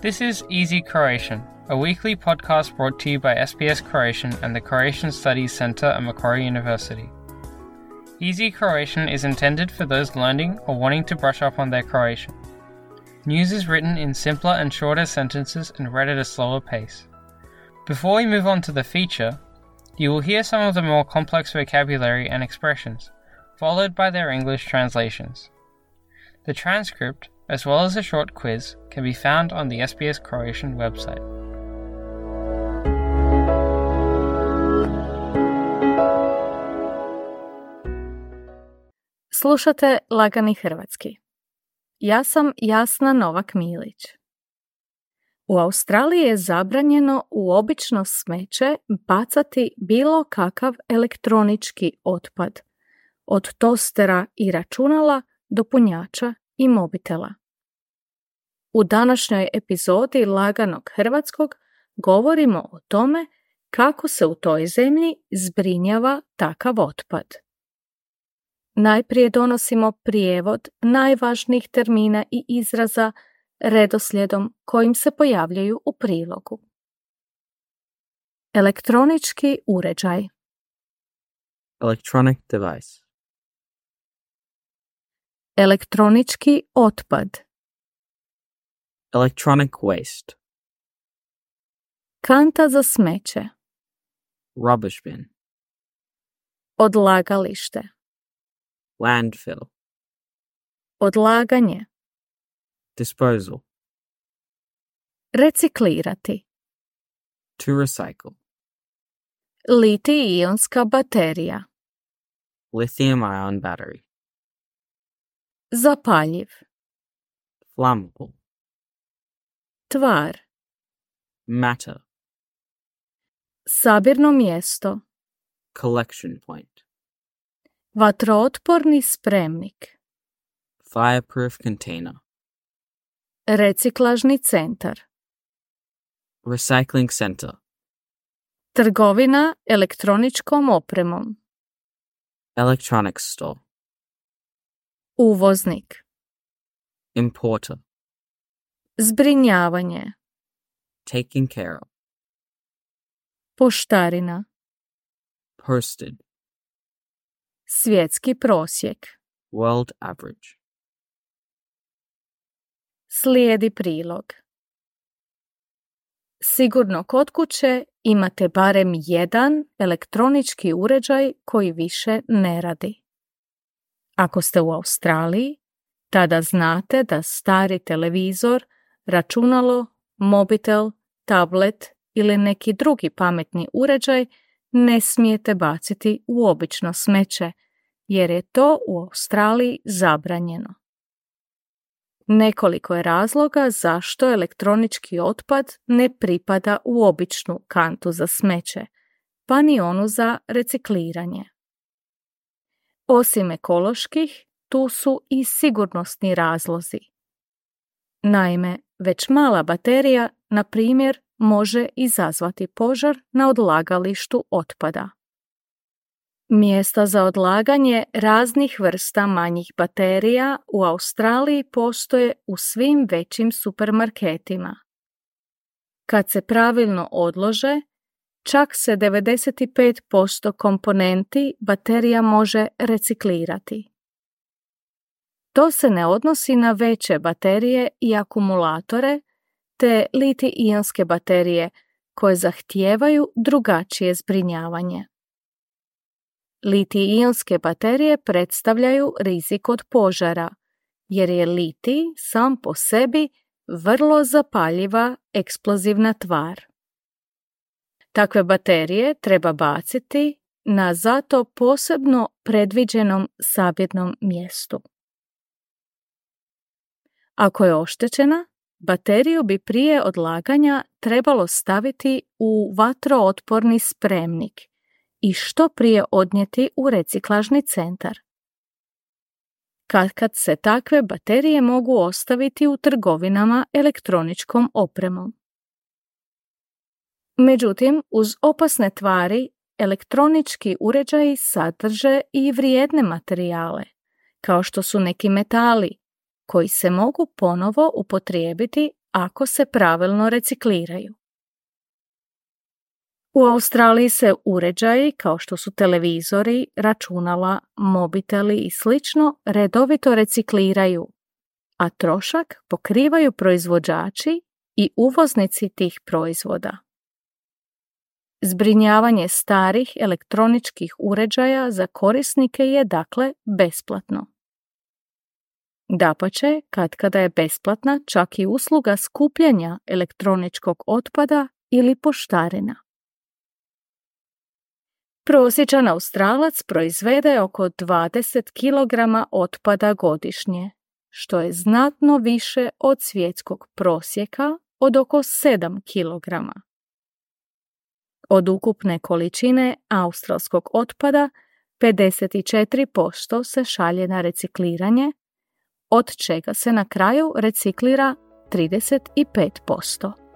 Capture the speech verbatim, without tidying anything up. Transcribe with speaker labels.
Speaker 1: This is Easy Croatian, a weekly podcast brought to you by S B S Croatian and the Croatian Studies Centre at Macquarie University. Easy Croatian is intended for those learning or wanting to brush up on their Croatian. News is written in simpler and shorter sentences and read at a slower pace. Before we move on to the feature, you will hear some of the more complex vocabulary and expressions, followed by their English translations. The transcript, as well as a short quiz, can be found on the S B S Croatian website.
Speaker 2: Slušate Lagani hrvatski. Ja sam Jasna Novak-Milić. U Australiji je zabranjeno u obično smeće bacati bilo kakav elektronički otpad, od tostera i računala do punjača i mobitela. U današnjoj epizodi Laganog hrvatskog govorimo o tome kako se u toj zemlji zbrinjava takav otpad. Najprije donosimo prijevod najvažnijih termina i izraza redoslijedom kojim se pojavljaju u prilogu. Elektronički uređaj.
Speaker 3: Electronic device.
Speaker 2: Elektronički otpad.
Speaker 3: Electronic waste.
Speaker 2: Kanta za smeće.
Speaker 3: Rubbish bin.
Speaker 2: Odlagalište.
Speaker 3: Landfill.
Speaker 2: Odlaganje.
Speaker 3: Disposal.
Speaker 2: Reciklirati.
Speaker 3: To recycle.
Speaker 2: Litij-ionska baterija.
Speaker 3: Lithium ion battery.
Speaker 2: Zapaljiv.
Speaker 3: Flammable.
Speaker 2: Tvar.
Speaker 3: Matter.
Speaker 2: Sabirno mjesto.
Speaker 3: Collection point.
Speaker 2: Vatrootporni spremnik.
Speaker 3: Fireproof container.
Speaker 2: Reciklažni centar.
Speaker 3: Recycling center.
Speaker 2: Trgovina elektroničkom opremom.
Speaker 3: Electronics store.
Speaker 2: Uvoznik.
Speaker 3: Importer.
Speaker 2: Zbrinjavanje.
Speaker 3: Taking care of.
Speaker 2: Poštarina.
Speaker 3: Posted.
Speaker 2: Svjetski prosjek.
Speaker 3: World average.
Speaker 2: Slijedi prilog. Sigurno kod kuće imate barem jedan elektronički uređaj koji više ne radi. Ako ste u Australiji, tada znate da stari televizor, računalo, mobitel, tablet ili neki drugi pametni uređaj ne smijete baciti u obično smeće, jer je to u Australiji zabranjeno. Nekoliko je razloga zašto elektronički otpad ne pripada u običnu kantu za smeće, pa ni onu za recikliranje. Osim ekoloških, tu su i sigurnosni razlozi. Naime, već mala baterija, na primjer, može izazvati požar na odlagalištu otpada. Mjesta za odlaganje raznih vrsta manjih baterija u Australiji postoje u svim većim supermarketima. Kad se pravilno odlože, čak se devedeset pet posto komponenti baterija može reciklirati. To se ne odnosi na veće baterije i akumulatore, te litij-ionske baterije koje zahtijevaju drugačije zbrinjavanje. Litij-ionske baterije predstavljaju rizik od požara, jer je litij sam po sebi vrlo zapaljiva eksplozivna tvar. Takve baterije treba baciti na zato posebno predviđenom sabirnom mjestu. Ako je oštećena, bateriju bi prije odlaganja trebalo staviti u vatrootporni spremnik i što prije odnijeti u reciklažni centar. Katkad se takve baterije mogu ostaviti u trgovinama elektroničkom opremom. Međutim, uz opasne tvari, elektronički uređaji sadrže i vrijedne materijale, kao što su neki metali, koji se mogu ponovo upotrijebiti ako se pravilno recikliraju. U Australiji se uređaji kao što su televizori, računala, mobiteli i slično redovito recikliraju, a trošak pokrivaju proizvođači i uvoznici tih proizvoda. Zbrinjavanje starih elektroničkih uređaja za korisnike je dakle besplatno. Dapače, katkada je besplatna čak i usluga skupljanja elektroničkog otpada ili poštarina. Prosječan Australac proizvede oko dvadeset kilograma otpada godišnje, što je znatno više od svjetskog prosjeka od oko sedam kilograma. Od ukupne količine australskog otpada pedeset četiri posto se šalje na recikliranje, od čega se na kraju reciklira trideset pet posto.